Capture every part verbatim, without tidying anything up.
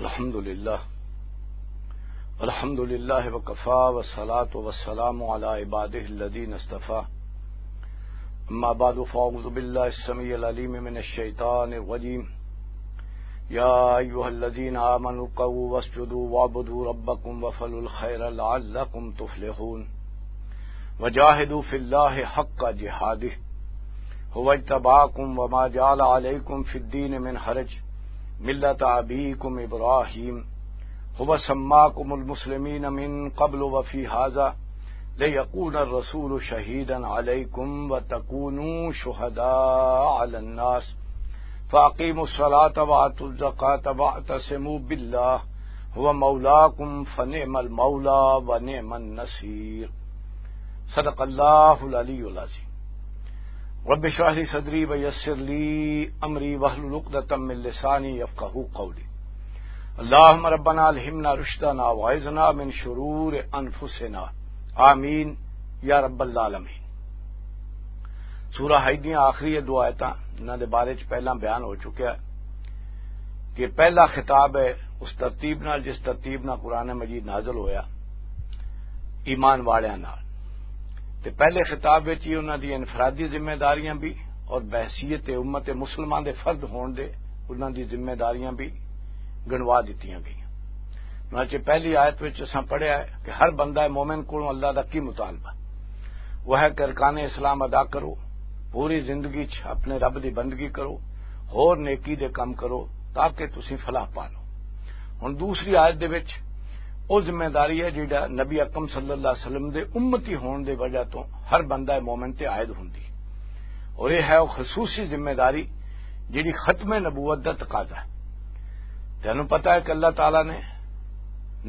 الحمد لله. الحمد لله وكفى، والصلاة والسلام على عباده الذين اصطفى. أما بعد، فأعوذ بالله السميع العليم من الشيطان الرجيم. يا أيها الذين آمنوا اركعوا واسجدوا واعبدوا ربكم وافعلوا الخير لعلكم تفلحون. وجاهدوا في الله حق جهاده هو اجتباكم وما جعل عليكم في الدين من حرج، ملة أبيكم إبراهيم، هو سماكم المسلمين من قبل وفي هذا، ليكون الرسول شهيدا عليكم وتكونوا شهداء على الناس، فأقيموا الصلاة وآتوا الزكاة واعتصموا بالله هو مولاكم فنعم المولى ونعم النصير. صدق اللہ العلی العظیم. رب اشرح لي صدري ويسر لي أمري واحلل عقدة من لساني يفقهوا قولي. اللهم ربنا ألهمنا رشدنا وأعذنا من شرور أنفسنا. آمين يا رب العالمين. سورہ حج دیاں آخری یہ دو آیتاں، انہاں دے بارے چ پہلاں بیان ہو چکیا ہے کہ پہلا خطاب ہے اس ترتیب نال، جس ترتیب نال قرآن مجید نازل ہویا، ایمان والیاں نال۔ تے پہلے خطاب وچ ہی انہاں دی انفرادی ذمہ داریاں بھی اور بحیثیت امت مسلمان دے فرد ہون دے انہاں دی ذمہ داریاں بھی گنوا دتیاں گئیاں۔ چنانچہ پہلی آیت وچ اساں پڑھیا ہے کہ ہر بندہ مومن کولوں اللہ دا کی مطالبہ؟ وہ ہے کہ ارکان اسلام ادا کرو، پوری زندگی چ اپنے رب دی بندگی کرو، ہور نیکی دے کم کرو، تاکہ تسی فلاح پا لو۔ ہن دوسری آیت دے وچ او ذمہ داری ہے جیڑا نبی اکرم صلی اللہ علیہ وسلم دے امتی ہون دے وجہ تو ہر بندہ مومن تے عائد ہوندی، اور یہ ہے وہ خصوصی ذمہ داری جیڑی ختم نبوت دا تقاضا ہے۔ تینوں پتہ ہے کہ اللہ تعالیٰ نے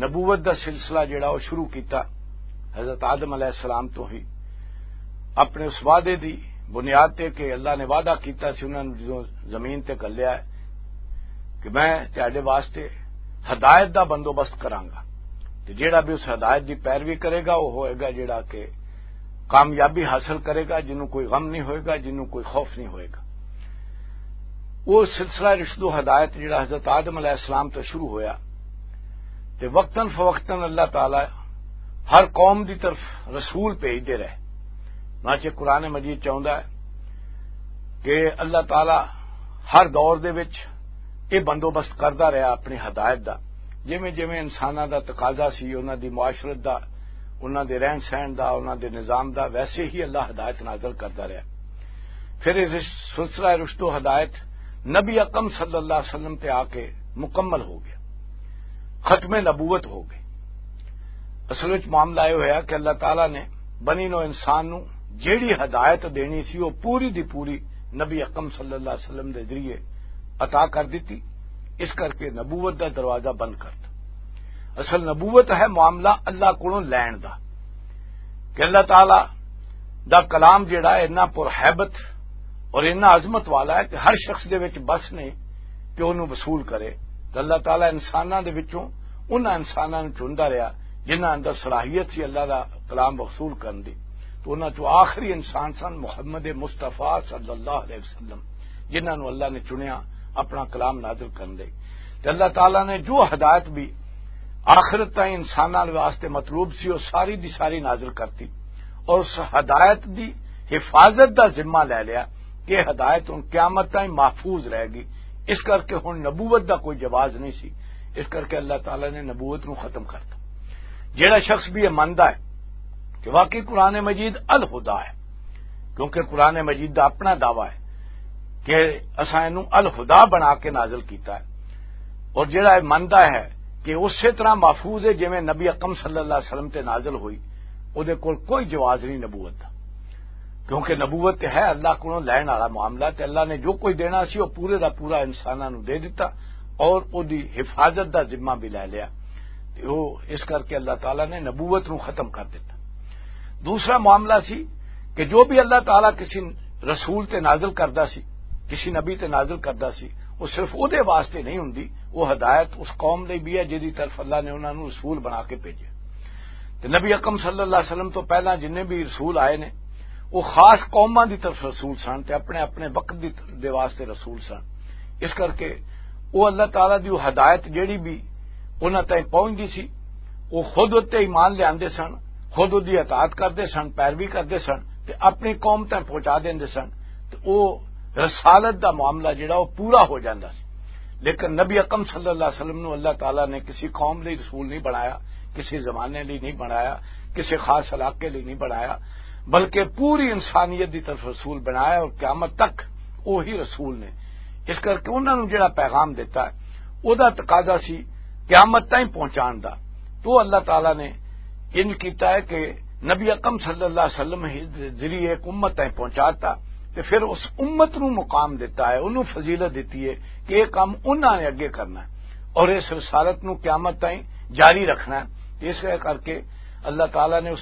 نبوت دا سلسلہ جڑا وہ شروع کیتا حضرت آدم علیہ السلام تو ہی، اپنے اس وعدے دی بنیاد تے کہ اللہ نے وعدہ کیتا سی انہاں نوں جدوں زمین تے گھلیا ہے کہ میں تہاڈے واسطے ہدایت دا بندوبست کراں گا، تے جیڑا بھی اس ہدایت دی پیروی کرے گا وہ ہوئے گا جیڑا کہ کامیابی حاصل کرے گا، جنوں کوئی غم نہیں ہوئے گا، جنوں کوئی خوف نہیں ہوئے گا۔ وہ سلسلہ رشد و ہدایت جڑا حضرت آدم علیہ السلام تو شروع ہویا، تے وقتاً فوقتاً اللہ تعالی ہر قوم دی طرف رسول بھیجدے رہے۔ چنانچہ قرآن مجید چاہندا ہے کہ اللہ تعالی ہر دور دے وچ یہ بندوبست کردا رہیا اپنی ہدایت دا، جویں جویں انساناں دا تقاضا سی، انہاں دی معاشرت دا، انہاں دے رہن سہن دا، انہاں دے نظام دا، ویسے ہی اللہ ہدایت نازل کردا رہیا۔ پھر یہ سلسلہ رشد و ہدایت نبی اکرم صلی اللہ علیہ وسلم تے آ کے مکمل ہو گیا، ختم نبوت ہو گئی۔ اصل وچ معاملہ یہ ہویا کہ اللہ تعالیٰ نے بنی نو انسان نو جیڑی ہدایت دینی سی، وہ پوری دی پوری نبی اکرم صلی اللہ علیہ وسلم دے ذریعے عطا کر دیتی۔ اس کر کے نبوت دا دروازہ بند کر دتا۔ اصل نبوت ہے معاملہ اللہ کولوں لین دا، کہ اللہ تعالیٰ دا کلام جڑا ہے اتنا پرہیبت اور اتنا عظمت والا ہے کہ ہر شخص دے وچ بس نہیں کہ انہوں وصول کرے۔ تو اللہ تعالیٰ انساناں دے وچوں انہاں انساناں نوں چندا رہیا جنہاں اندر صلاحیت سی اللہ دا کلام وصول کرن دی۔ تو انہاں چوں آخری انسان سن محمد مصطفیٰ صلی اللہ علیہ وسلم، جنہاں نوں اللہ نے چنیا اپنا کلام نازل کرن دے۔ تے اللہ تعالیٰ نے جو ہدایت بھی آخرت تائیں انساناں دے واسطے مطلوب سی، وہ ساری دی ساری نازل کرتی، اور اس ہدایت دی حفاظت دا ذمہ لے لیا کہ ہدایت ہن قیامت تائیں محفوظ رہے گی۔ اس کر کے ہن نبوت دا کوئی جواز نہیں سی، اس کر کے اللہ تعالیٰ نے نبوت نو ختم کر دیا۔ جیڑا شخص بھی یہ مندا ہے کہ واقعی قرآن مجید الہدا ہے، کیونکہ قرآن مجید دا اپنا دعویٰ ہے کہ اساں اینوں الہدا بنا کے نازل کیتا ہے، اور جیڑا یہ مندا ہے کہ اسی طرح محفوظ ہے جویں نبی اکرم صلی اللہ علیہ وسلم تے نازل ہوئی، او دے کول کوئی جواز نہیں نبوت دا، کیونکہ نبوت تے ہے اللہ کولوں لین والا معاملہ، تے اللہ نے جو کچھ دینا سی، وہ پورے دا پورا انساناں نوں دے دتا، اور او دی حفاظت دا ذمہ بھی لے لیا۔ تے او اس کر کے اللہ تعالیٰ نے نبوت نوں ختم کر دتا۔ دوسرا معاملہ سی کہ جو بھی اللہ تعالیٰ کسی رسول تے نازل کردا سی، کسی نبی تے نازل کردا سی، وہ صرف او دے واسطے نہیں ہوندی، وہ ہدایت اس قوم لئی بھی ہے جدی طرف اللہ نے انہاں نوں رسول بنا کے بھیجے۔ تے نبی اکرم صلی اللہ علیہ وسلم تو پہلاں جنہیں بھی رسول آئے نے، وہ خاص قوماں دی طرف رسول سن تے اپنے اپنے وقت دی، دے واسطے رسول سن۔ اس کر کے وہ اللہ تعالیٰ دی وہ ہدایت جیڑی بھی انہاں تائیں پہنچدی سی، وہ خود اتنے ایمان لیاندے سن، خود اودی اطاعت کردے سن، پیروی کردے سن، تے اپنی قوم تائیں پہنچا دیندے سن۔ تے وہ رسالت دا معاملہ جڑا وہ پورا ہو جاندا سی۔ لیکن نبی اکرم صلی اللہ علیہ وسلم نو اللہ تعالیٰ نے کسی قوم لئی رسول نہیں بنایا، کسی زمانے لئی نہیں بنایا، کسی خاص علاقے لئی نہیں بنایا، بلکہ پوری انسانیت دی طرف رسول بنایا اور قیامت تک وہی رسول نے۔ اس کر کے انہاں نوں جڑا پیغام دتا ہے، او دا تقاضا سی قیامت تائیں پہنچان دا۔ تو اللہ تعالیٰ نے انج کیتا ہے کہ نبی اکرم صلی اللہ علیہ وسلم ہی ذریعے ایک امت تائیں پہنچاتا، تے پھر اس امت نوں مقام دتا ہے، انہوں فضیلت دتی ہے کہ یہ کام انہاں نے اگے کرنا ہے اور اس رسالت نوں قیامت تائیں جاری رکھنا ہے۔ اس کر کے اللہ تعالیٰ نے اس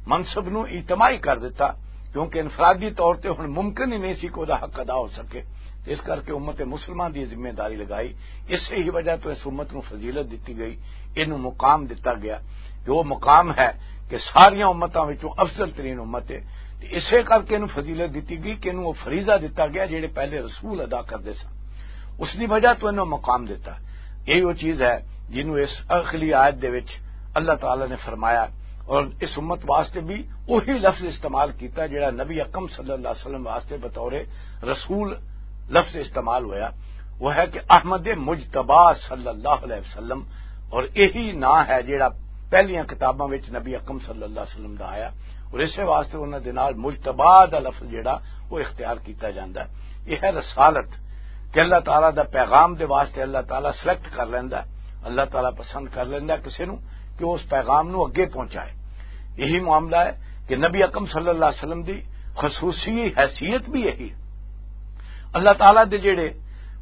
منصب نوں اجتماعی کر دتا، کیونکہ انفرادی طور تے ہن ممکن ہی نہیں سی کہ او دا حق ادا ہو سکے۔ تے اس کر کے امت مسلمہ دی ذمہ داری لگائی۔ اسے ہی وجہ تو اس امت نوں فضیلت دتی گئی، اینوں مقام دتا گیا کہ وہ مقام ہے کہ ساریاں امتاں وچوں افضل ترین امت ہے۔ تے اسے کر کے اینوں فضیلت دتی گئی کہ اینوں وہ فریضہ دتا گیا جڑے پہلے رسول ادا کردے سن، اس دی وجہ تو اینوں مقام دتا۔ یہی وہ چیز ہے جنوں اس اخلی آیت دے وچ اللہ تعالیٰ نے فرمایا، اور اس امت واسطے بھی وہی لفظ استعمال کیتا جڑا نبی اکرم صلی اللہ علیہ وسلم واسطے بطور رسول لفظ استعمال ہویا، وہ ہے کہ احمد مجتبی صلی اللہ علیہ وسلم، اور یہی نام ہے جڑا پہلیاں کتاباں وچ نبی اکرم صلی اللہ علیہ وسلم دا آیا، اور اسے واسطے انہاں دے نال مجتبی دا لفظ جڑا وہ اختیار کیتا جاندا ہے۔ یہ ہے رسالت کہ اللہ تعالیٰ دا پیغام دے واسطے اللہ تعالیٰ سلیکٹ کر لیندا ہے، اللہ تعالیٰ پسند کر لیندا ہے کسے نوں کہ وہ اس پیغام نوں اگے پہنچائے۔ یہی معاملہ ہے کہ نبی اکرم صلی اللہ علیہ وسلم دی خصوصی حیثیت بھی یہی ہے۔ اللہ تعالیٰ دے جڑے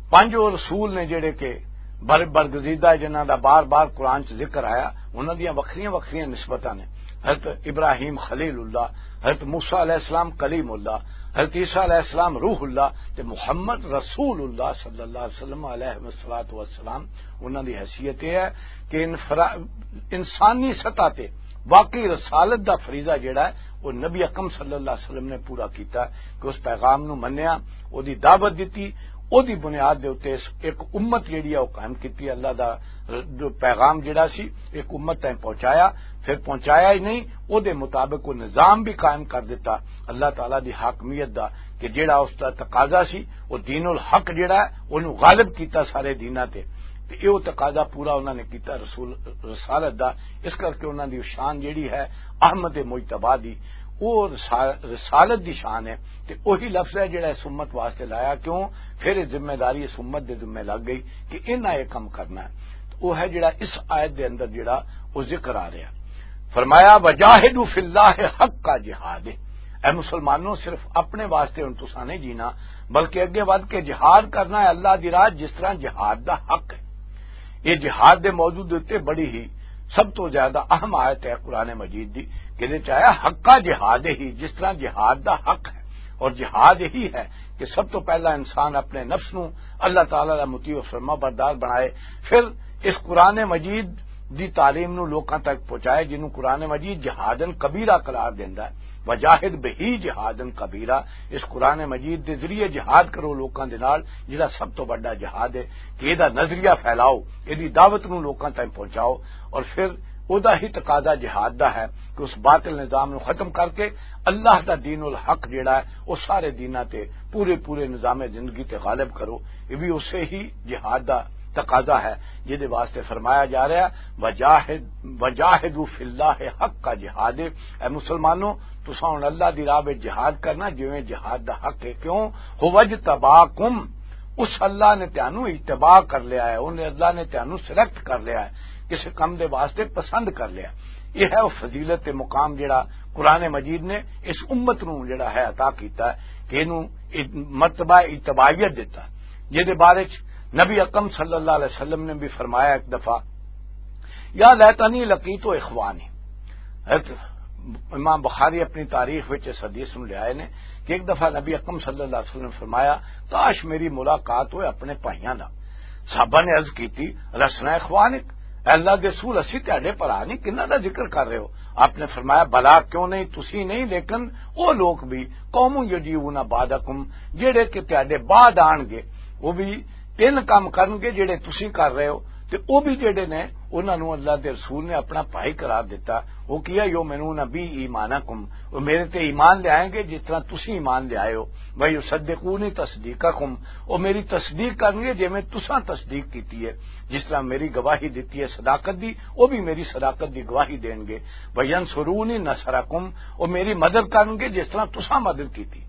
پنج وہ رسول نے جڑے کہ بر برگزیدہ ہے، جنہاں دا بار بار قرآن چ ذکر آیا، انہاں دیاں وکھریاں وکھریاں نسبتاں نے۔ حضرت ابراہیم خلیل اللہ، حضرت موسیٰ علیہ السلام کلیم اللہ، حضرت عیسیٰ علیہ السلام روح اللہ، تے محمد رسول اللہ صلی اللہ علیہ وسلم علیہ الصلوۃ والسلام۔ انہاں دی حیثیت یہ ہے کہ انفرا-، انسانی سطح تے واقعی رسالت دا فریضہ جڑا ہے، وہ نبی اکرم صلی اللہ علیہ وسلم نے پورا کیتا کہ اس پیغام نو منیا، او دی دعوت دتی، او دی بنیاد دے اُتے اس ایک امت جڑی ہے، وہ قائم کیتی۔ اللہ دا جو پیغام جڑا سی، ایک امت تائیں پہنچایا، پھر پہنچایا ہی نہیں، او دے مطابق وہ نظام بھی قائم کر دیتا اللہ تعالیٰ دی حاکمیت دا، کہ جڑا اس دا تقاضا سی، وہ دین الحق جڑا ہے، انہوں غالب کیتا سارے دیناں تے۔ تے ایہو تقاضا پورا انہاں نے کیتا رسول رسالت دا۔ اس کر کے انہاں دی شان جڑی ہے احمد مجتبی دی، وہ رسا-، رسالت دی شان ہے۔ تے وہی لفظ ہے جڑا اس امت واسطے لایا، کیوں؟ پھر یہ ذمہ داری اس امت دے ذمہ لگ گئی کہ انہاں یہ کم کرنا ہے۔ تو وہ ہے جڑا اس آیت دے اندر جڑا وہ ذکر آ رہا۔ فرمایا، "وجاہدوا فی اللہ حق کا جہاد۔" اے مسلمانوں، صرف اپنے واسطے ہن تساں نہیں جینا، بلکہ اگے ودھ کے جہاد کرنا ہے اللہ دی راہ، جس طرح جہاد دا حق ہے۔ یہ جہاد دے موضوع دے اُتے بڑی ہی سب تو زیادہ اہم آیت ہے قرآن مجید دی، کہ دے چاہے حق کا جہاد ہی، جس طرح جہاد دا حق ہے۔ اور جہاد یہی ہے کہ سب تو پہلا انسان اپنے نفس نو اللہ تعالیٰ دا مطیع و فرما بردار بنائے، پھر اس قرآن مجید دی تعلیم نو لوکاں تک پہنچائے، جنوں قرآن مجید جہادن کبیرہ قرار دیندا ہے۔ وجاہد بہی جہادن کبیرہ، اس قرآن مجید دے ذریعے جہاد کرو لوکاں دے نال، جڑا سب تو بڑا جہاد ہے، کہ اے دا نظریہ پھیلاؤ، اے دی دعوت نو لوکاں تائیں پہنچاؤ، اور پھر او دا ہی تقاضا جہاد دا ہے کہ اس باطل نظام نو ختم کر کے اللہ دا دین الحق جڑا ہے، او سارے دیناں تے، پورے پورے نظام زندگی تے غالب کرو۔ یہ بھی اسے ہی جہاد دا تقاضا ہے جس دے واسطے فرمایا جا رہا ہے، "وجاہد، وجاہدوا فی اللہ حق کا جہاد۔" اے مسلمانوں، تساں ہن اللہ دی راہ وچ جہاد کرنا، جویں جہاد دا حق ہے۔ کیوں؟ "ہو اجتباکم۔" اس اللہ نے تانوں اجتبا کر لیا ہے، انہیں اللہ نے تانوں سلیکٹ کر لیا ہے، کسی کم دے واسطے پسند کر لیا۔ یہ ہے وہ فضیلت تے مقام جڑا قرآن مجید نے اس امت نو جڑا ہے عطا کیتا ہے، کہ اینو مرتبہ اجتبائیت دیتا، جس دے بارے چ نبی اکرم صلی اللہ علیہ وسلم نے بھی فرمایا ایک دفعہ، "یا لیتنی لقیت اخوانی۔" حضرت امام بخاری اپنی تاریخ وچ اس حدیث نو لے آئے نے کہ ایک دفعہ نبی اکرم صلی اللہ علیہ وسلم نے فرمایا، "کاش میری ملاقات ہوئے اپنے بھائیاں نال۔" صحابہ نے عرض کیتی، "لسنا اخوانک، اے اللہ دے رسول، اسی تہاڈے بھرا نہیں، کنہاں دا ذکر کر رہے ہو؟" آپ نے فرمایا، "بلا، کیوں نہیں، تسی نہیں، لیکن او لوگ بھی، قوم یجیبون بعدکم، جڑے کہ تہاڈے بعد آن گے، وہ بھی تین کام کرنگے جڑے تسی کر رہے ہو، تے او بھی جڑے نے، انہاں نوں اللہ دے رسول نے اپنا بھائی قرار دتا۔ او کیا؟ یؤمنون بی ایمانکم، او میرے تے ایمان لے آئیں گے جس طرح تسی ایمان لے آئے ہو۔ ویصدقونی تصدیقکم، او میری تصدیق کرنگے جویں تساں تصدیق کیتی ہے، جس طرح میری گواہی دتی ہے صداقت دی، او بھی میری صداقت دی گواہی دین گے۔ وینصرونی نصرکم، او میری مدد کرنگے جس طرح تساں مدد کیتی۔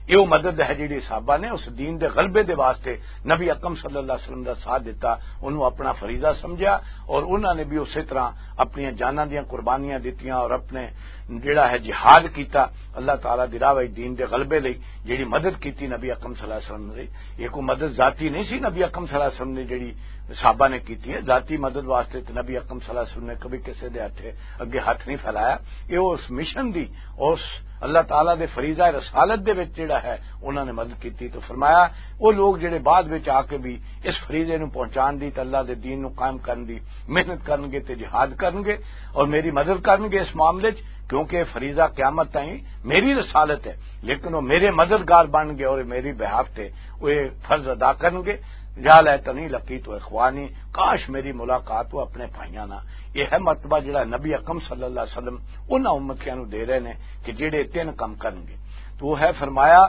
یہ وہ مدد ہے جڑی صحابہ نے اس دین دے غلبے دے واسطے نبی اکرم صلی اللہ علیہ وسلم دا ساتھ دیتا، انہوں اپنا فریضہ سمجھا، اور انہاں نے بھی اسی طرح اپنی جاناں دیاں قربانیاں دتیاں اور اپنے جڑا ہے جہاد کیتا اللہ تعالیٰ دی راہ وچ دین دے غلبے لئی۔ جڑی مدد کیتی نبی اکرم صلی اللہ علیہ وسلم نے، یہ کوئی مدد ذاتی نہیں سی نبی اکرم صلی اللہ علیہ وسلم نے جڑی صحابہ نے کیتی ہے۔ ذاتی مدد واسطے تے نبی اکرم صلی اللہ علیہ وسلم نے کبھی کسی دے ہتھے اگے ہاتھ نہیں پھیلایا۔ یہ اس مشن دی، اس اللہ تعالیٰ دے فریضہ رسالت دے وچ جڑا ہے، انہاں نے مدد کیتی۔ تو فرمایا، وہ لوگ جڑے بعد وچ آ کے بھی اس فریضے نوں پہنچان دی تے اللہ دے دین نوں قائم کرن دی محنت کرن گے تے جہاد کرن گے اور میری مدد کرن گے اس معاملے چ، کیونکہ یہ فریضہ قیامت تائیں میری رسالت ہے، لیکن وہ میرے مددگار بن گئے اور میری بہاف تے وہ یہ فرض ادا کرن گے۔ یا لیتنی لقیت اخوانی، کاش میری ملاقات ہو اپنے بھائیاں نال۔ یہ ہے مرتبہ جڑا نبی اکرم صلی اللہ علیہ وسلم انہاں امتیاں نوں دے رہے نے کہ جڑے تین کم کرن گے۔ تو وہ ہے فرمایا،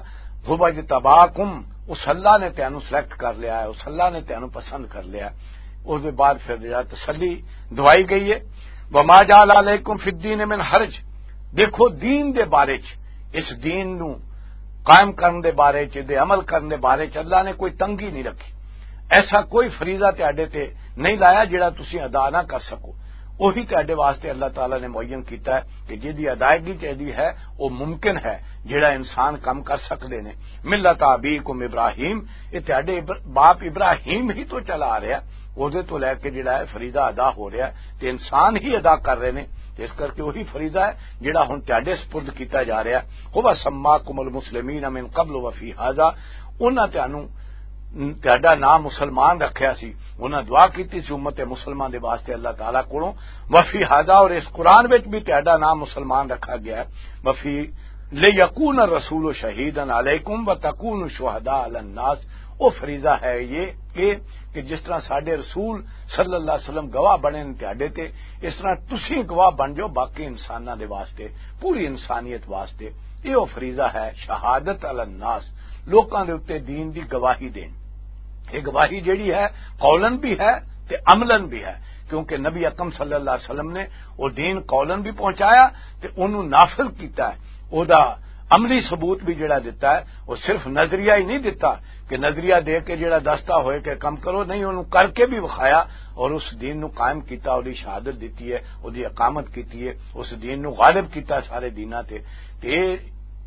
"ھو اجتباکم"، اس اللہ نے تینوں سلیکٹ کر لیا ہے، اس اللہ نے تینوں پسند کر لیا ہے۔ اس دے بعد پھر جڑا تسلی دوائی گئی ہے، "وما جعل علیکم فی الدین من حرج"، دیکھو دین دے بارے چ، اس دین نوں قائم کرن دے بارے چ، دے عمل کرن دے بارے چ اللہ نے کوئی تنگی نہیں رکھی۔ ایسا کوئی فریضہ تہاڈے تے نہیں لایا جڑا تسی ادا نہ کر سکو۔ وہی تہاڈے واسطے اللہ تعالیٰ نے معین کیتا ہے کہ جدی ادائیگی چاہیدی ہے، وہ ممکن ہے، جڑا انسان کم کر سکدے نے۔ ملت ابیکم ابراہیم، یہ تہاڈے ابر-، باپ ابراہیم ہی تو چلا آ رہا، وہ تو لے کے جڑا ہے فریضہ ادا ہو رہا ہے، تے انسان ہی ادا کر رہے نے، تے اس کر کے وہی فریضہ ہے جڑا ہن تہاڈے سپرد کیتا جا رہا ہے۔ "ھو سماکم المسلمین من قبل وفی ھذا"، انہاں تہانوں، تہاڈا نام مسلمان رکھیا سی، انہاں دعا کیتی سی امت مسلمان دے واسطے اللہ تعالیٰ کولوں، "وفی ھذا"، اور اس قرآن وچ بھی تہاڈا نام مسلمان رکھا گیا ہے، "وفی لیکون الرسول شہیدا علیکم وتکونوا شہداء علی الناس"۔ وہ فریضہ ہے یہ کہ، کہ جس طرح ساڈے رسول صلی اللہ علیہ وسلم گواہ بنے نے تہاڈے تے، اس طرح تسی گواہ بن جاؤ باقی انساناں دے واسطے، پوری انسانیت واسطے۔ یہ وہ فریضہ ہے، شہادت علی الناس، لوکاں دے اُتے دین دی گواہی دین۔ یہ گواہی جڑی ہے، قولن بھی ہے تے عملاً بھی ہے، کیونکہ نبی اکرم صلی اللہ علیہ وسلم نے وہ دین قولن بھی پہنچایا تے انہوں نافذ کیتا ہے۔ او دا عملی ثبوت بھی جڑا دتا ہے، وہ صرف نظریہ ہی نہیں دتا کہ نظریہ دے کے جڑا دستہ ہوئے کہ کم کرو، نہیں، انہوں کر کے بھی وکھایا اور اس دین نو قائم کیتا، اوہدی شہادت دتی ہے، اوہدی اقامت کیتی ہے، اس دین نو غالب کیتا سارے دیناں تے۔ تے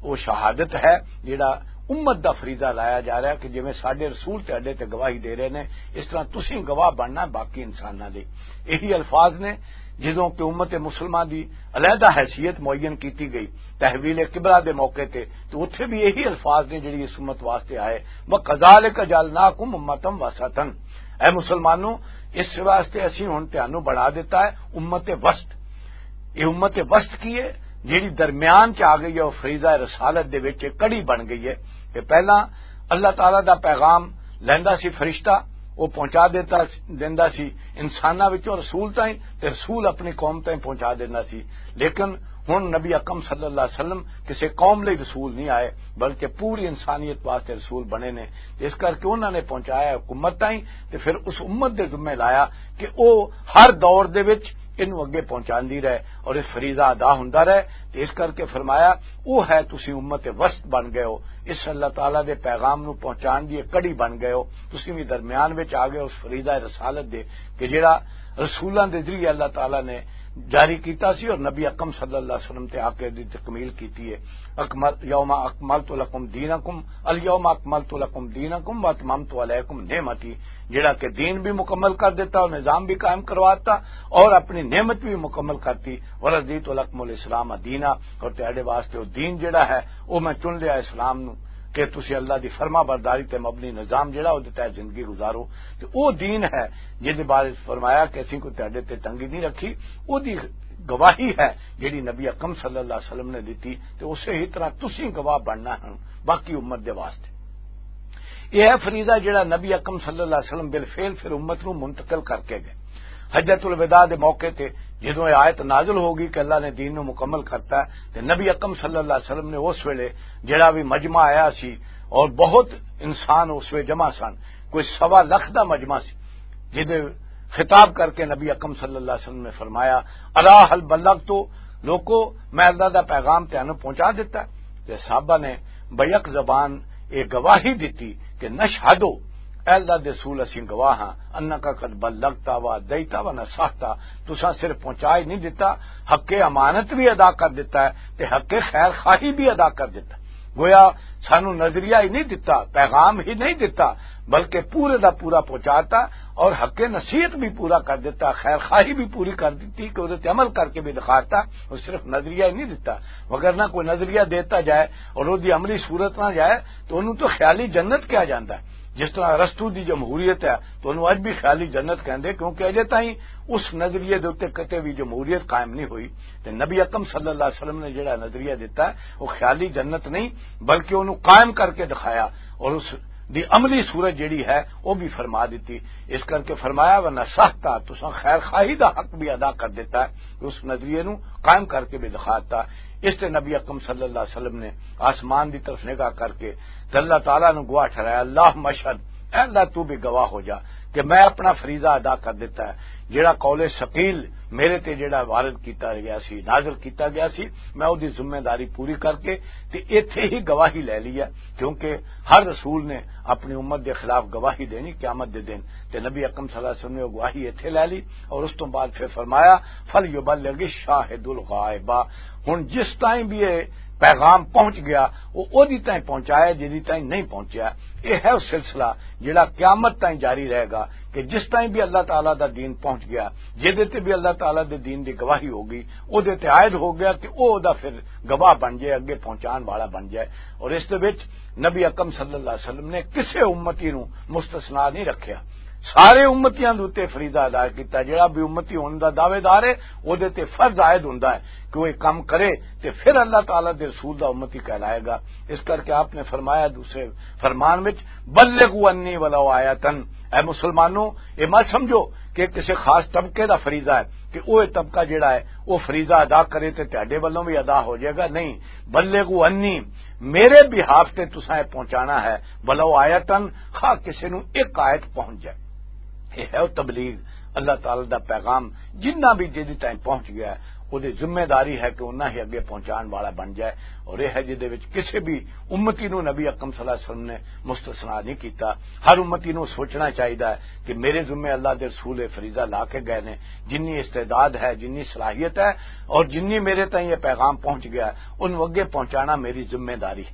او شہادت ہے جڑا امت دا فریضہ لایا جا رہا ہے کہ جویں ساڈے رسول تے اڈے تے گواہی دے رہے نے، اس طرح تسیں گواہ بننا باقی انساناں دے۔ یہی الفاظ نے جدوں کہ امت مسلمہ دی علیحدہ حیثیت معین کیتی گئی تحویل کبریٰ دے موقع تے، تو اتھے بھی یہی الفاظ نے جڑی اس امت واسطے آئے، "وَكَذَلِكَ جَعَلْنَاكُمْ أُمَّةً وَسَطًا"۔ اے مسلمانوں، اس واسطے اسی ہن تانوں بنا دیتا ہے امت وسط۔ یہ امت وسط کی ہے؟ جڑی درمیان چ آ گئی ہے، وہ فریضہ رسالت دے وچ ایک کڑی بن گئی ہے کہ پہلا اللہ تعالیٰ دا پیغام لیندا سی فرشتہ، وہ پہنچا دیتا، دیندا سی انساناں وچوں رسول تائیں، تے رسول اپنی قوم تائیں پہنچا دیندا سی۔ لیکن ہن نبی اکرم صلی اللہ علیہ وسلم کسے قوم لئی رسول نہیں آئے، بلکہ پوری انسانیت واسطے رسول بنے نے۔ اس کر کے انہاں نے پہنچایا حکومت تائیں، تے پھر اس امت دے ذمے لایا کہ او ہر دور دے وچ انہوں اگے پہنچاندی رہے اور اس فریضہ ادا ہوندا رہے۔ تے اس کر کے فرمایا، "او ہے تسی امت وسط بن گئے ہو، اس اللہ تعالیٰ دے پیغام نو پہنچان دی ایک کڑی بن گئے ہو، تسی بھی درمیان وچ آ گئے ہو اس فریضہ رسالت دے کہ جڑا رسولاں دے ذریعے اللہ تعالیٰ نے جاری کیتا سی اور نبی اکرم صلی اللہ علیہ وسلم تے آ کے دی تکمیل کیتی ہے۔" اکمل، یوم اکملت لکم دینکم، الیوم اکملت لکم دینکم واتممت علیکم نعمتی، جڑا کہ دین بھی مکمل کر دیتا اور نظام بھی قائم کرواتا اور اپنی نعمت بھی مکمل کرتی، ورضیت لکم الاسلام دینا، اور تیرے واسطے وہ دین جڑا ہے وہ میں چن لیا اسلام نو کہ تسی اللہ دی فرما برداری تے مبنی نظام جڑا وہ تحت زندگی گزارو۔ تے وہ دین ہے جس دے بارے فرمایا کہ اسی کو تیرے تے تنگی نہیں رکھی، وہ دی گواہی ہے جڑی نبی اکرم صلی اللہ علیہ وسلم نے دیتی، تے اسے ہی طرح تسی گواہ بننا ہے باقی امت دے واسطے۔ یہ ہے فریضہ جڑا نبی اکرم صلی اللہ علیہ وسلم بالفعل پھر امت نو منتقل کر کے گئے۔ حجۃ الوداع دے موقع تے جدوں یہ آیت نازل ہو گئی کہ اللہ نے دین نو مکمل کرتا ہے، تے نبی اکرم صلی اللہ علیہ وسلم نے اس ویلے جڑا بھی مجمع آیا سی، اور بہت انسان اس ویلے جمع سن، کوئی سوا لکھ دا مجمع سی، جدے خطاب کر کے نبی اکرم صلی اللہ علیہ وسلم نے فرمایا، "الا هل بلغت؟ لوکو، میں اللہ دا پیغام تینوں پہنچا دیتا ہے؟" تے صحابہ نے بیک زبان یہ گواہی دتی کہ "نشہدو، اے اللہ دے رسول، اسیں گواہ ہاں، انک قد بلغت و ادیت و نصحت، تساں صرف پہنچا ہی نہیں دیتا، حق امانت بھی ادا کر دیتا ہے تے حق خیر خواہی بھی ادا کر دیتا ہے۔" گویا سانو نظریہ ہی نہیں دتا، پیغام ہی نہیں دتا، بلکہ پورے دا پورا پہنچاتا اور حق نصیحت بھی پورا کر دیتا، خیر خواہی بھی پوری کر دیتی کہ وہ عمل کر کے بھی دکھاتا، وہ صرف نظریہ ہی نہیں دتا۔ مگر نہ کوئی نظریہ دیتا جائے اور وہ دی عملی صورت نہ جائے تو انہوں تو خیالی جنت کہا جاتا ہے۔ جس طرح ارسطو دی جمہوریت ہے تو انہوں اج بھی خیالی جنت کہندے، کیونکہ اجے تائیں اس نظریے دے اُتے کتے بھی جمہوریت قائم نہیں ہوئی۔ تے نبی اکرم صلی اللہ علیہ وسلم نے جڑا نظریہ دیتا ہے، وہ خیالی جنت نہیں، بلکہ انہوں قائم کر کے دکھایا، اور اس دی عملی صورت جڑی ہے، وہ بھی فرما دیتی۔ اس کر کے فرمایا، "ونصحت، تساں خیر خواہی دا حق بھی ادا کر دیتا ہے۔" اس نظریے نو قائم کر کے بھی دکھاتا۔ اس تے نبی اکرم صلی اللہ علیہ وسلم نے آسمان دی طرف نگاہ کر کے تے اللہ تعالیٰ نو گواہ ٹھہرایا، "اللہ مشہد، اے اللہ تو بھی گواہ ہو جا کہ میں اپنا فریضہ ادا کر دیتا ہے۔" جڑا قول ثقیل میرے تے جڑا وارد کیتا گیا سی، نازل کیتا گیا سی، میں او دی ذمہ داری پوری کر کے تے ایتھے ہی گواہی لے لی ہے، کیونکہ ہر رسول نے اپنی امت دے خلاف گواہی دینی قیامت دے دن۔ تے نبی اکرم صلی اللہ علیہ وسلم نے او گواہی ایتھے لے لی، اور اس تو بعد پھر فرمایا، "فلیبلغ الشاہد الغائبہ۔" ہن جس تائیں بھی یہ پیغام پہنچ گیا، وہ اودی تائیں پہنچایا، جدی تائیں نہیں پہنچیا۔ یہ ہے وہ سلسلہ جڑا قیامت تائیں جاری رہے گا، کہ جس تائیں بھی اللہ تعالیٰ دا دین پہنچ گیا، جدے تے بھی اللہ تعالیٰ دے دین دی گواہی ہو گئی، او دے تے عائد ہو گیا کہ او دا پھر گواہ بن جائے، اگے پہنچان والا بن جائے۔ اور اس دے وچ نبی اکرم صلی اللہ علیہ وسلم نے کسے امتی نو مستثنا نہیں رکھیا، سارے امتیاں دے اُتے فریضہ ادا کیتا۔ جڑا بھی امتی ہون دا دعوے دار ہے، او دے تے فرض عائد ہوندا ہے کہ وہ ایک کام کرے، تے پھر اللہ تعالیٰ دے رسول دا امتی کہلائے گا۔ اس کر کے آپ نے فرمایا دوسرے فرمان وچ، "بلغوا عنی ولو آیتن۔" اے مسلمانوں، اے مت سمجھو کہ کسی خاص طبقے دا فریضہ ہے کہ وہ طبقہ جڑا ہے، وہ فریضہ ادا کرے تے تہاڈے ولوں بھی ادا ہو جائے گا، نہیں۔ "بلغوا عنی"، میرے بہاف تے تساں اے پہنچانا ہے، "ولو آیتن"، خواہ کسی نو ایک آیت پہنچ جائے۔ یہ ہے وہ تبلیغ، اللہ تعالیٰ دا پیغام جنہ بھی جدی تائیں پہنچ گیا ہے، وہ دی ذمہ داری ہے کہ انہاں ہی اگے پہنچان والا بن جائے۔ اور یہ ہے جدے وچ کسی بھی امتی نو نبی اکرم صلی اللہ علیہ وسلم نے مستثنا نہیں کیتا۔ ہر امتی نو سوچنا چاہیدا ہے کہ میرے ذمے اللہ دے رسول یہ فریضہ لا کے گئے نے، جنی استعداد ہے، جنی صلاحیت ہے، اور جنی میرے تائیں یہ پیغام پہنچ گیا ہے، انہوں اگے پہنچانا میری ذمہ داری۔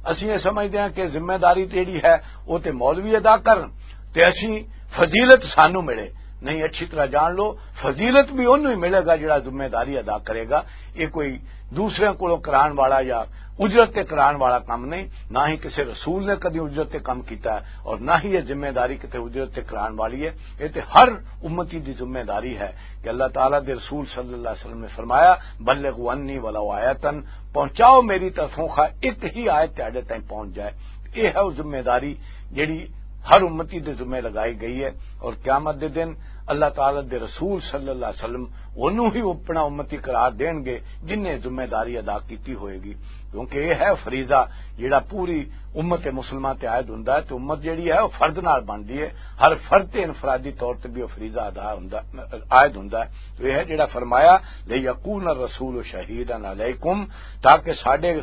اسی یہ سمجھدے ہیں کہ ذمہ داری جیڑی ہے، وہ تے مولوی ادا کرن، تے اسی فضیلت سانو ملے۔ نہیں، اچھی طرح جان لو، فضیلت بھی انہوں ہی ملے گا جڑا ذمہ داری ادا کرے گا۔ یہ کوئی دوسرے کولوں کران والا یا اجرت تے کران والا کم نہیں، نہ ہی کسی رسول نے کدی اجرت تے کم کیتا ہے، اور نہ ہی یہ ذمہ داری کتے اجرت تے کران والی ہے۔ یہ تے ہر امتی دی ذمہ داری ہے کہ اللہ تعالیٰ دے رسول صلی اللہ علیہ وسلم نے فرمایا، "بلغوا عنی ولو آیتن"، پہنچاؤ میری طرفوں خواہ ایک ہی آیت تہاڈے تائیں پہنچ جائے۔ یہ ہے وہ ذمہ داری جڑی ہر امتی دے ذمہ لگائی گئی ہے، اور قیامت دے دن اللہ تعالیٰ دے رسول صلی اللہ علیہ وسلم انہوں ہی اپنا امتی قرار دین گے جن نے ذمہ داری ادا کیتی ہوئے گی، کیونکہ یہ ہے فریضہ جڑا پوری امت مسلمہ تے عائد ہوندا ہے، تے امت جڑی ہے وہ فرد نال بندی ہے، ہر فرد تے انفرادی طور تے بھی وہ فریضہ ادا ہوندا، عائد ہوندا ہے۔ تو یہ ہے جڑا فرمایا، "لیکون الرسول شہیدا علیکم"، تاکہ ساڈے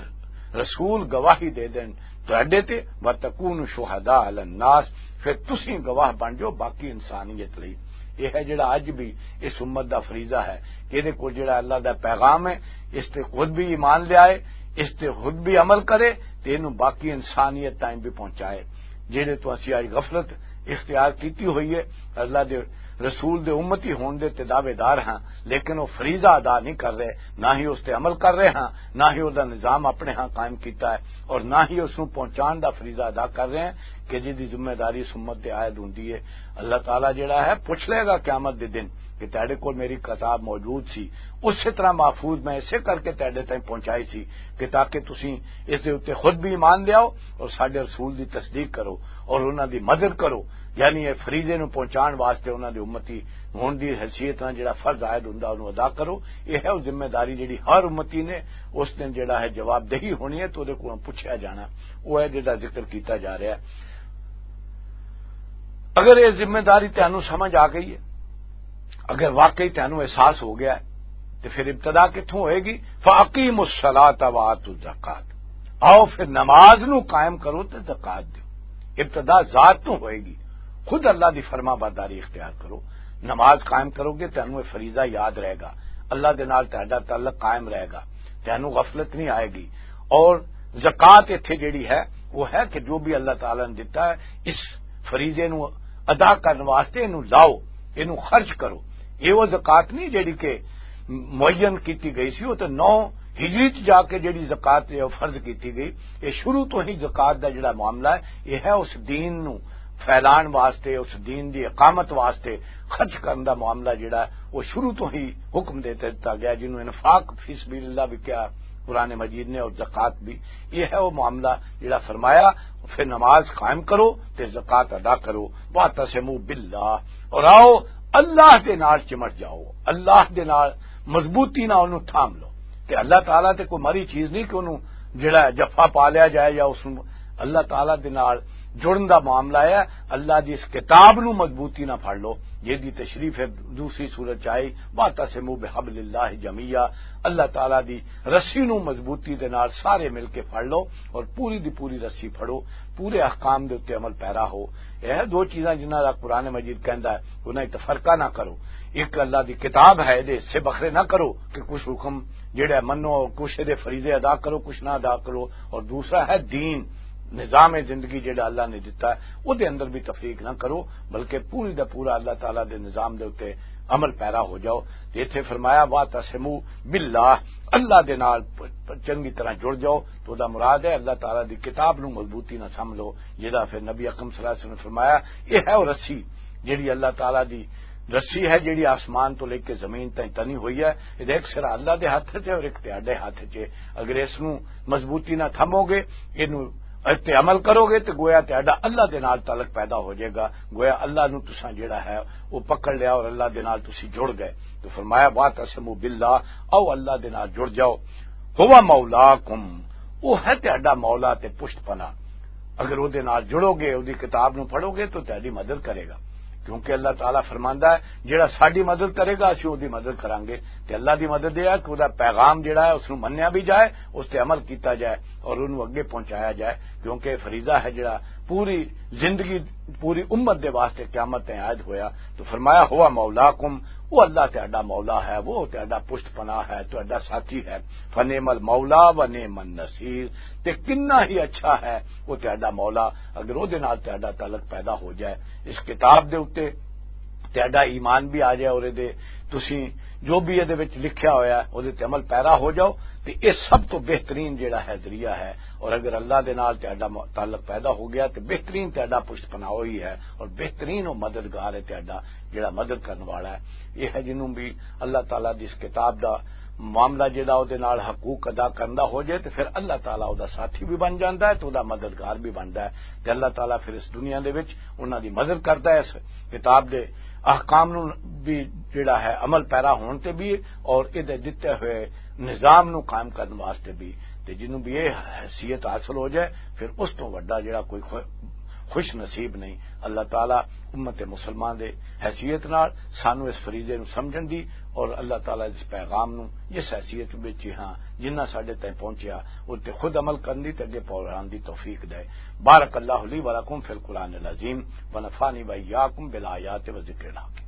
رسول گواہی دے دین تہاڈے تے، "وتکونوا شہداء علی الناس"، پھر تسی گواہ بن جاؤ باقی انسانیت لئی۔ یہ ہے جڑا اج بھی اس امت دا فریضہ ہے کہ یہ کول جڑا اللہ دا پیغام ہے، اس تے خود بھی ایمان لے آئے، اس تے خود بھی عمل کرے، تے اینوں باقی انسانیت تائیں بھی پہنچائے۔ جڑے تو اسی اج غفلت اختیار کیتی ہوئی ہے، اللہ دے رسول دے امتی ہون دے تے دعوے دار ہاں، لیکن وہ فریضہ ادا نہیں کر رہے، نہ ہی اس تے عمل کر رہے ہاں، نہ ہی اس دا نظام اپنے ہاں قائم کیتا ہے، اور نہ ہی اس نوں پہنچان دا فریضہ ادا کر رہے ہیں کہ جس دی ذمہ داری اس امت تے عائد ہوندی ہے۔ اللہ تعالیٰ جڑا ہے، پوچھ لے گا قیامت دے دن کہ تہاڈے کول میری کتاب موجود سی، اسی طرح محفوظ میں اسے کر کے تہاڈے تائیں پہنچائی سی، کہ تاکہ تسی اس دے اُتے خود بھی ایمان لیاؤ اور ساڈے رسول دی تصدیق کرو اور انہاں دی مدد کرو۔ یعنی یہ فریضے نوں پہنچان واسطے انہاں دی امتی ہون دی حیثیت نال جڑا فرض عائد ہوندا، اونوں ادا کرو۔ یہ ہے وہ ذمہ داری جڑی ہر امتی نے اس دن جڑا ہے جواب دہی ہونی ہے، تو اودے کولوں پچھیا جانا۔ وہ ہے جڑا ذکر کیتا جا رہا ہے۔ اگر یہ ذمہ داری تانوں سمجھ آ گئی ہے، اگر واقعی تانوں احساس ہو گیا ہے، تو پھر ابتدا کتھوں ہوئے گی؟ فَأَقِيمُوا الصَّلَاةَ وَآتُوا الزَّكَاةَ۔ آؤ پھر نماز نو قائم کرو تے زکوٰۃ دیو۔ ابتدا ذات تو ہوئے گی۔ خود اللہ دی فرما برداری اختیار کرو۔ نماز قائم کرو گے، تانوں یہ فریضہ یاد رہے گا، اللہ دے نال تہاڈا تعلق قائم رہے گا، تانوں غفلت نہیں آئے گی۔ اور زکوٰۃ ایتھے جڑی ہے، وہ ہے کہ جو بھی اللہ تعالیٰ نے دتا ہے، اس فریضے نو ادا کرن واسطے اینو لاؤ، اینو خرچ کرو۔ یہ وہ زکوٰۃ نہیں جڑی کہ معین کیتی گئی سی، وہ تو نو ہجری چ جا کے جڑی زکوٰۃ ہے، وہ فرض کیتی گئی۔ یہ شروع تو ہی زکوٰۃ دا جڑا معاملہ ہے، یہ ہے اس دین نو پھیلان واسطے، اس دین دی اقامت واسطے خرچ کرن دا معاملہ جڑا ہے، وہ شروع تو ہی حکم دے دتا گیا، جنوں انفاق فی سبیل اللہ بھی کہا قرآن مجید نے، اور زکوٰۃ بھی۔ یہ ہے وہ معاملہ جڑا فرمایا، پھر نماز قائم کرو تے زکوٰۃ ادا کرو۔ وَاعْتَصِمُوا بِاللَّهِ، اور آؤ اللہ دے نال چمٹ جاؤ، اللہ دے نال مضبوطی نال اونوں تھام لو۔ تے اللہ تعالیٰ تے کوئی مری چیز نہیں کہ اونوں جڑا ہے جفا پا لیا جائے یا اس نوں۔ اللہ تعالیٰ دے نال جڑن دا معاملہ ہے۔ اللہ دی اس کتاب نوں مضبوطی نال پھڑ لو، جس دی تشریح ہے دوسری سورت چ آئی، وَاعْتَصِمُوا بِحَبْلِ اللَّهِ جَمِيعًا۔ اللہ تعالیٰ دی رسی نوں مضبوطی دے نال سارے مل کے پھڑ لو اور پوری دی پوری رسی پھڑو، پورے احکام دے اُتے عمل پیرا ہو۔ یہ دو چیزاں جنہاں دا قرآن مجید کہندا ہے، انہاں وچ تفرقہ نہ کرو۔ ایک اللہ دی کتاب ہے، دے حصے بکھرے نہ کرو کہ کچھ حکم جڑا منو، کچھ دے فریضے ادا کرو، کچھ نہ ادا کرو۔ اور دوسرا ہے دین، نظام زندگی جڑا اللہ نے دتا ہے، او دے اندر بھی تفریق نہ کرو، بلکہ پوری دا پورا اللہ تعالیٰ دے نظام دے اُتے عمل پیرا ہو جاؤ۔ تے ایتھے فرمایا، وَاعْتَصِمُوا بِاللَّهِ، اللہ دے نال پ-، پ-، چنگی طرح جڑ جاؤ۔ تو دا مراد ہے اللہ تعالیٰ دی کتاب نو مضبوطی نہ سمجھ لو، جڑا پھر نبی اکرم صلی اللہ علیہ وسلم نے فرمایا، یہ ہے وہ رسی جڑی اللہ تعالیٰ دی رسی ہے، جڑی آسمان تو لے کے زمین تائیں تنی ہوئی ہے۔ یہ ایک سرا اللہ دے ہاتھ چ ہے اور ایک تہاڈے ہاتھ چ ہے۔ اگر اس نو مضبوطی نہ تھمو گے، اینو تے عمل کرو گے تے گویا تہاڈا اللہ دے نال تعلق پیدا ہو جائے گا، گویا اللہ نو تساں جڑا ہے وہ پکڑ لیا اور اللہ دے نال تسی جڑ گئے۔ تو فرمایا، وَاعْتَصِمُوا بِاللَّهِ، آؤ اللہ دے نال جڑ جاؤ، هُوَ مَوْلَاكُمْ، وہ ہے تہاڈا مولا تے پشت پناہ۔ اگر وہ دے نال جڑو گے، وہ دی کتاب نو پڑھو گے تو تہاڈی مدد کرے گا، کیونکہ اللہ تعالیٰ فرماندا ہے، جڑا ساڈی مدد کرے گا، اسی وہ دی مدد کرانگے۔ تے اللہ دی مدد یہ ہے کہ وہ دا پیغام جڑا ہے، اس نو منیا بھی جائے، اس تے عمل کیتا جائے اور انہوں اگے پہنچایا جائے، کیونکہ فریضہ ہے جڑا پوری زندگی، پوری امت دے واسطے قیامت تے عائد ہویا۔ تو فرمایا، هُوَ مَوْلَاكُمْ، وہ اللہ تہاڈا مولا ہے، وہ تہاڈا پشت پناہ ہے، تہاڈا ساتھی ہے۔ فَنِعْمَ الْمَوْلَىٰ وَنِعْمَ النَّصِيرُ، تے کنا ہی اچھا ہے وہ تہاڈا مولا، اگر وہ دے نال تہاڈا تعلق پیدا ہو جائے اس کتاب دے اُتے، تہاڈا ایمان بھی آ جائے اور دے تسی جو بھی یہ وچ لکھیا ہویا ہے، وہ تے عمل پیرا ہو جاؤ، تے یہ سب تو بہترین جڑا ہے ذریعہ ہے۔ اور اگر اللہ دے نال تہاڈا م-، تعلق پیدا ہو گیا، تے بہترین تہاڈا پشت پناہ ہوئی ہے اور بہترین وہ مددگار ہے تہاڈا، جڑا مدد کرن والا ہے۔ یہ ہے جنوں بھی اللہ تعالیٰ دی اس کتاب دا معاملہ جڑا او دے نال حقوق ادا کرندا ہو جائے، تے پھر اللہ تعالیٰ او دا ساتھی بھی بن جاندا ہے تے او دا مددگار بھی بندا ہے۔ تے اللہ تعالیٰ پھر اس دنیا دے وچ انہاں دی مدد کردا ہے، اس کتاب دے احکام نوں بھی جڑا ہے عمل پیرا ہون تے بھی، اور اے دے دتے ہوئے نظام نوں قائم کرن واسطے بھی۔ تے جنوں بھی یہ حیثیت حاصل ہو جائے، پھر اس تو وڈا جڑا کوئی خو-، خوش نصیب نہیں۔ اللہ تعالیٰ امت مسلمان دے حیثیت نال سانو اس فریضے نوں سمجھن دی اور اللہ تعالیٰ دے اس پیغام نوں جس حیثیت وچ ہی ہاں، جنہ ساڈے تائیں پہنچیا، اس تے خود عمل کرن دی تے اگے پھیلان دی توفیق دے۔ بارک اللہ لی و لکم فی القرآن العظیم و نفعنی و ایاکم بالآیات و ذکر الحکیم۔